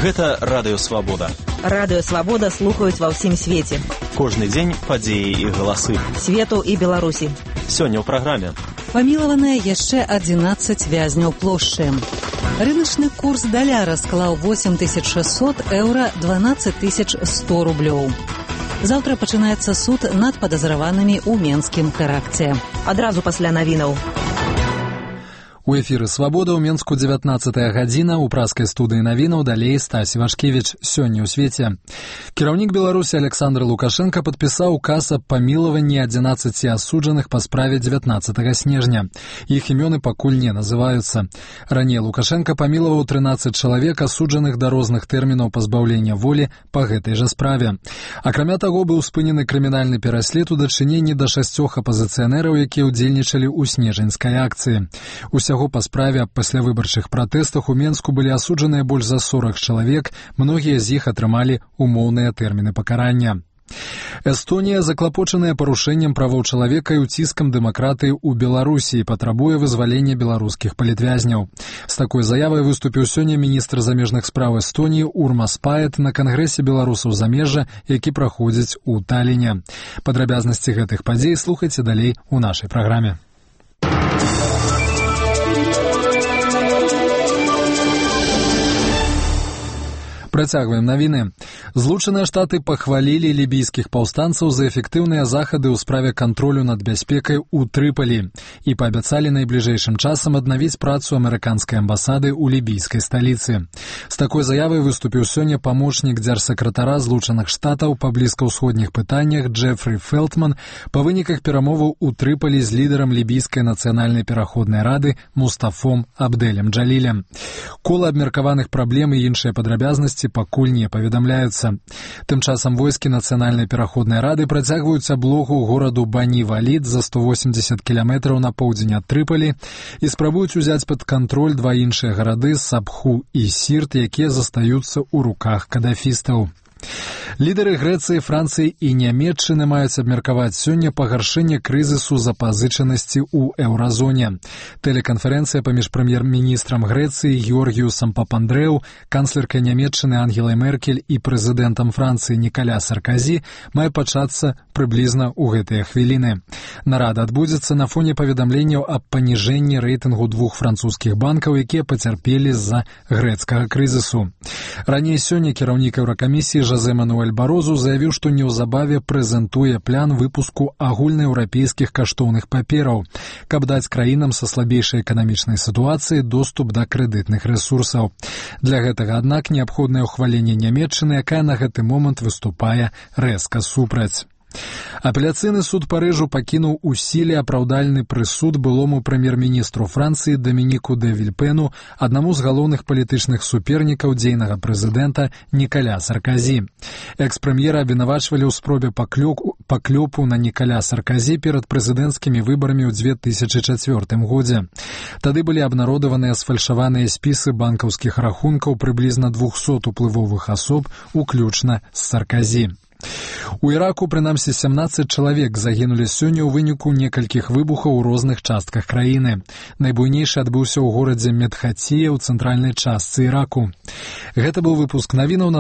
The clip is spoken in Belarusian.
Гэта Радыё Свабода. Радыё Свабода слухаюць ва ўсім свеце. Кожны дзень падзеі і галасы. Свету і Беларусі. Сёння ў праграме. Памілаваныя яшчэ 11 вязняў плошчы. Рыначны курс даляра склаў 8600 еўра 12100 рублёў. Заўтра пачынаецца суд над падазраванымі ў менскім тэракце. Адразу пасля навінаў. У эфіры «Свабода» ў Менску 19-я гадзіна, у праскай студыі навінаў далей Стась Івашкевіч. Сёння ў свеце. Кіраўнік Беларусі Александр Лукашенко падпісаў указ аб памілаванні 11 асуджаных па справе 19 снежня. Іх імёны пакуль не называюцца. Раней Лукашенко памілаваў 13 чалавек, асуджаных да розных тэрмінаў пазбаўлення волі па гэтай жа справе. Акрамя таго, быў спынены крымінальны пераслед у дачыненні да 6 апазіцыянераў, якія ўдзельнічалі ў снежаньскай акцыі. Усяго па справе аб паслявыбарчых пратэстах у Менску былі асуджаныя больш за 40 чалавек, многія з іх атрымалі умоўныя тэрміны пакарання. Эстонія, заклапочаная парушэннем правоў чалавека і ўціскам дэмакратыі ў Беларусі, патрабуе вызвалення беларускіх палітвязняў. З такой заявай выступіў сёння міністр замежных спраў Эстоніі Урмас Паэт на кангрэсе беларусаў замежжа, які праходзіць у Талліне. Падрабязнасці гэтых падзей слухайце далей у нашай праграме. Працягваем навіны. Злучаныя Штаты пахвалілі лібійскіх паўстанцаў за эфектыўныя захады ў справе кантролю над бяспекай у Трыпалі і паабяцалі найбліжэйшым часам аднавіць працу амерыканскай амбасады ў лібійскай сталіцы. З такой заявай выступіў сёння памочнік дзяржсакратара Злучаных Штатаў па блізкаўсходніх пытаннях Джефры Фелтман па выніках перамоваў у Трыпалі з лідарам лібійскай нацыянальнай пераходнай рады Мустафом Абдэлем Джалілем. Кола абмеркаваных праблем і іншыя падрабязнасці пакуль не паведамляюцца. Тым часам войскі нацыянальнай пераходнай рады працягваюць аблогу гораду Бані-Валід за 180 кіламетраў на поўдзень ад Трыпалі і спрабуюць узяць пад кантроль два іншыя гарады Сабху і Сірт, якія застаюцца ў руках кадафістаў. Лідары Грэцыі, Францыі і Нямецчыны маюць абмеркаваць сёння пагаршэнне крызісу запазычанасці ў еўразоне. Тэлеканферэнцыя паміж прэм'ер-міністрам Грэцыі Георгіусам Папандрэу, канцлеркай Нямецчыны Ангелай Меркель і прэзідэнтам Францыі Нікаля Сарказі мае пачацца прыблізна ў гэтыя хвіліны. Нарада адбудзецца на фоне паведамленняў аб паніжэнні рэйтынгу двух французскіх банкаў, якія пацярпелі з-за грэцкага крызісу. Раней сёння кіраўнік Еўракамісіі Жозе Мануэль Барозу заявіў, што неўзабаве прэзентуе план выпуску агульнаеўрапейскіх каштоўных папераў, каб даць краінам са слабейшай эканамічнай сітуацыяй доступ да крэдытных рэсурсаў. Для гэтага, аднак, неабходнае ўхваленне Нямецчыны, якая на гэты момант выступае рэзка супраць. Апеляцыйны суд Парыжу пакінуў у сіле апраўдальны прысуд былому прэм'ер-міністру Францыі Дамініку дэ Вільпену, аднаму з галоўных палітычных супернікаў дзейнага прэзідэнта Нікаля Сарказі. Экс-прэм'ера абвінавачвалі ў спробе паклёпу на Нікаля Сарказі перад прэзідэнцкімі выбарамі ў 2004 годзе. Тады былі абнародаваныя сфальшаваныя спісы банкаўскіх рахункаў прыблізна 200 уплывовых асоб, уключна з Сарказі. У Іраку, прынамсі, 17 чалавек загінулі сёння ў выніку некалькіх выбухаў у розных частках краіны. Найбуйнейшы адбыўся ў горадзе Медхація ў цэнтральнай частцы Іраку. Гэта быў выпуск навінаў, на